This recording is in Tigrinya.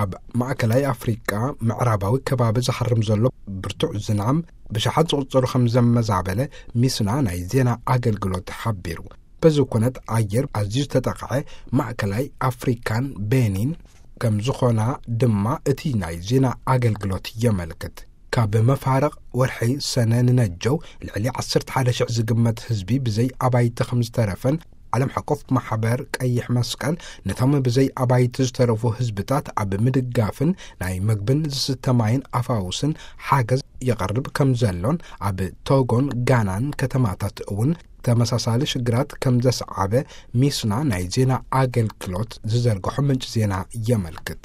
ኣብ ማእከላይ ኣፍሪቃ ምዕራባዊ ከባቢ ዝሃርም ዘሎ ብርቱዕ ዝናም ብሽሓት ዝቑጸሩ ከም ዘመዛበለ ሚስና ናይ ዜና ኣገልግሎት ሓቢሩ። በዚ ኩነት ኣየር ኣዝዩ ዝተጠቕዐ ማእከላይ ኣፍሪካን ቤኒን ከም ዝኾና ድማ እቲ ናይ ዜና ኣገልግሎት የመልክት። ካብ መፋርቕ ወርሒ ሰነ ንነጀው ልዕሊ ዓሰርተ ሓደ ሽሕ ዝግመት ህዝቢ ብዘይ ኣባይቲ ከም ዝተረፈን ዓለም ሓቆፍ ማሕበር ቀይሕ መስቀል ነቶም ብዘይ ኣባይቲ ዝተረፉ ህዝብታት ኣብ ምድጋፍን ናይ መግብን ዝስተ ማይን ኣፋውስን ሓገዝ የቐርብ ከም ዘሎን ኣብ ቶጎን ጋናን ከተማታት እውን ተመሳሳሊ ሽግራት ከም ዘስዓበ ሚስና ናይ ዜና ኣገልግሎት ዝዘርግሖ ምንጭ ዜና የመልክት።